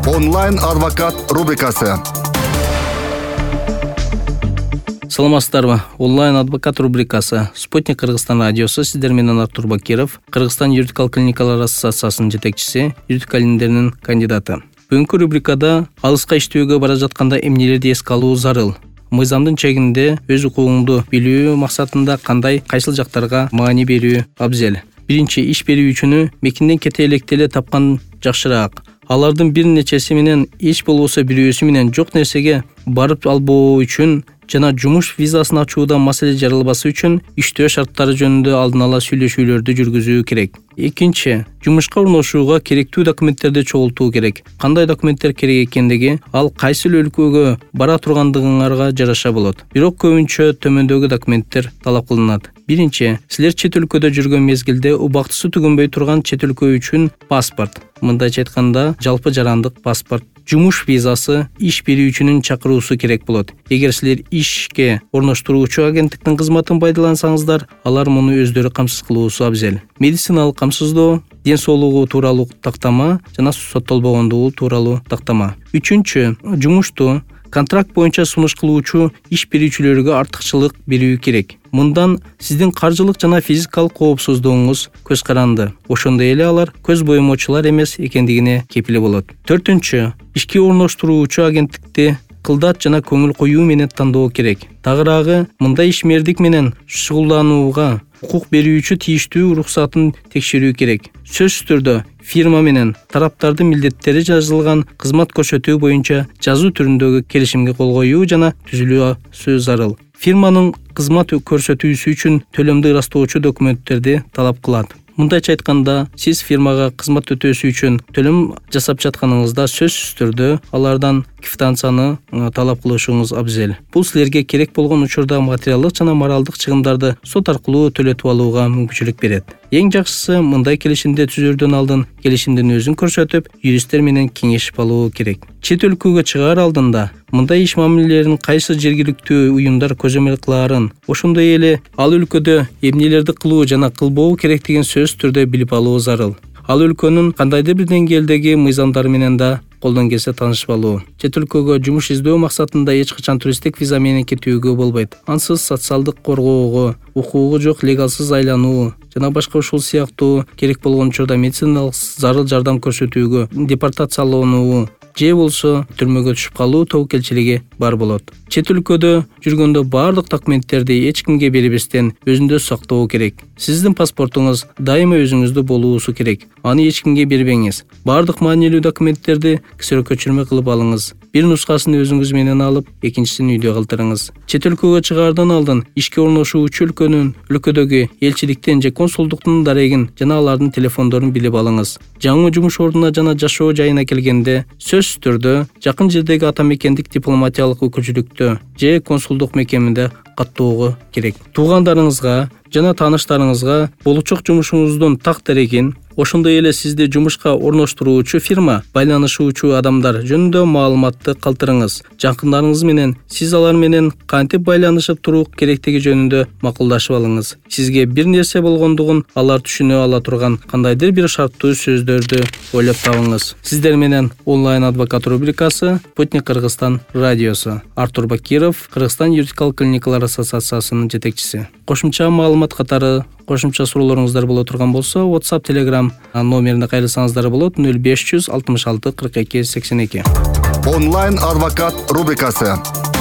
Онлайн адвокат рубрикасы. Саламатсыздарбы? Онлайн адвокат рубрикасы. Спутник Кыргызстан радиосу. Сиздер менен Артур Бакиров, Кыргызстан юридикалык клиникалар ассоциациясынын жетекчиси, юридика илимдеринин кандидаты. Бүгүнкү рубрикада алыска иштөөгө бара жатканда эмнелерди эске алуу зарыл? Мыйзамдын чегинде өз укугуңду билүү максатында кандай, кайсыл жактарга маани берүү абзел? Биринчи, иш берүүчүнү мекинден кете электеле тапкан жакшыраак. Алардын бир нечеси менен эч болбосо бирөөсү менен жок нерсеге барып албоо үчүн жана жумуш визасын ачууда маселе жаралбасы үчүн иштөө шарттары жөнүндө алдын ала сүйлөшүүлөрдү жүргүзүү керек. Экинчи, жумушка орношууга керектүү документтерди чогултуу керек. Кандай документтер керек экендиги ал кайсыл өлкөгө бара тургандыгыңарга жараша болот. Бирок көбүнчө төмөндөгү документтер талап кылынат. Биринчи, силер чет өлкөдө жүргөн мезгилде убактысы түгөнбөй турган чет өлкө үчүн паспорт, мындайча айтканда жалпы жарандык паспорт, жумуш визасы, иш берүүчүнүн чакыруусу керек болот. Эгер силер ишке орноштуруучу агенттиктин кызматын пайдалансаңыздар, алар муну өздөрү камсыз кылуусу абзел. Медициналык камсыздоо, ден соолугу тууралуу тактама жана соттолбогондугу тууралуу тактама. Үчүнчү, жумушту контракт боюнча сунуш кылуучу иш берүүчүлөргө артыкчылык берүү керек. Мындан сиздин каржылык жана физикалык коопсуздугуңуз көз каранды. Ошондой эле алар көз боемочулар эмес экендигине кепил болот. Төртүнчү, ишке орноштуруучу агенттикти кылдат жана көңүл коюу менен тандоо керек. Тагыраагы, мындай ишмердик менен шугулданууга укук берүүчү тийиштүү уруксатын текшерүү керек. Сөзсүз түрдө фирма менен тараптардын милдеттери жазылган кызмат көрсөтүү боюнча жазуу түрүндөгү келишимге кол коюу жана түзүлүүсү зарыл. Фирманын кызмат көрсөтүүсү үчүн төлөмдү ырастоочу документтерди талап кылат. Мындайча айтканда, сиз фирмага кызмат өтөөсү үчүн төлөм жасап жатканыңызда сөзсүз түрдө алардан квитанцияны талап кылышыңыз абзел. Бул силерге керек болгон учурда материалдык жана моралдык чыгымдарды сот аркылуу төлөтүп алууга мүмкүнчүлүк берет. Эң жакшысы, мындай келишимди түзөрдөн алдын келишимдин өзүн көрсөтүп, юристтер менен кеңешип алуу керек. Чет өлкөгө чыгаар алдында мындай иш мамилелерин кайсы жергиликтүү уюмдар көзөмөл кылаарын, ошондой эле ал өлкөдө эмнелерди кылуу жана кылбоо керектигин сөзсүз түрдө билип алуу зарыл. Ал өлкөнүн кандайдыр бир деңгээлдеги мыйзамдары менен да колдон келсе таанышып алуу. Чет өлкөгө жумуш издөө максатында эч качан туристтик виза менен кетүүгө болбойт. Ансыз социалдык коргоого, укугу жок легалсыз айлануу жана башка ушул сыяктуу керек болгон учурда медициналык зарыл жардам көрсөтүүгө депортациялануу же болсо түрмөгө түшүп калуу тобокелчилиги бар болот. Чет өлкөдө жүргөндө баардык документтерди эч кимге бербестен өзүндө сактоо керек. Сиздин паспортуңуз дайыма өзүңүздө болуусу керек. Аны эч кимге бербеңиз. Баардык маанилүү документтерди ксерок көчүрмө кылып алыңыз. Бир нускасын өзүңүз менен алып, экинчисин үйдө калтырыңыз. Чет өлкөгө чыгаардан алдын ишке орношуучу өлкөдөгү элчиликтен же консулдуктун дарегин жана алардын телефондорун билип алыңыз. Жаңы жумуш ордуна жана жашоо жайына келгенде сөзсүз түрдө жакын жердеги ата мекендик дипломатиялык өкүлчүлүктө же консулдук мекемеде каттоого керек. Туугандарыңызга жана тааныштарыңызга болочок жумушуңуздун так дарегин, ошондой эле сизди жумушка орноштуруучу фирма, байланышуучу адамдар жөнүндө маалыматты калтырыңыз. Жакындарыңыз менен сиз алар менен кантип байланышып туруу керектиги жөнүндө макулдашып алыңыз. Сизге бир нерсе болгондугун алар түшүнө ала турган кандайдыр бир шарттуу сөздөрдү ойлоп табыңыз. Сиздер менен онлайн адвокат рубрикасы, Спутник Кыргызстан радиосу. Артур Бакиров, Кыргызстан юридикалык клиникалар ассоциациясынын жетекчиси. Кошумча маалымат катары кошумча суроолоруңуздар боло турган болсо, WhatsApp, Telegram номерине кайрылсаңыздар болот. 0566 42 82. Онлайн адвокат рубрикасы.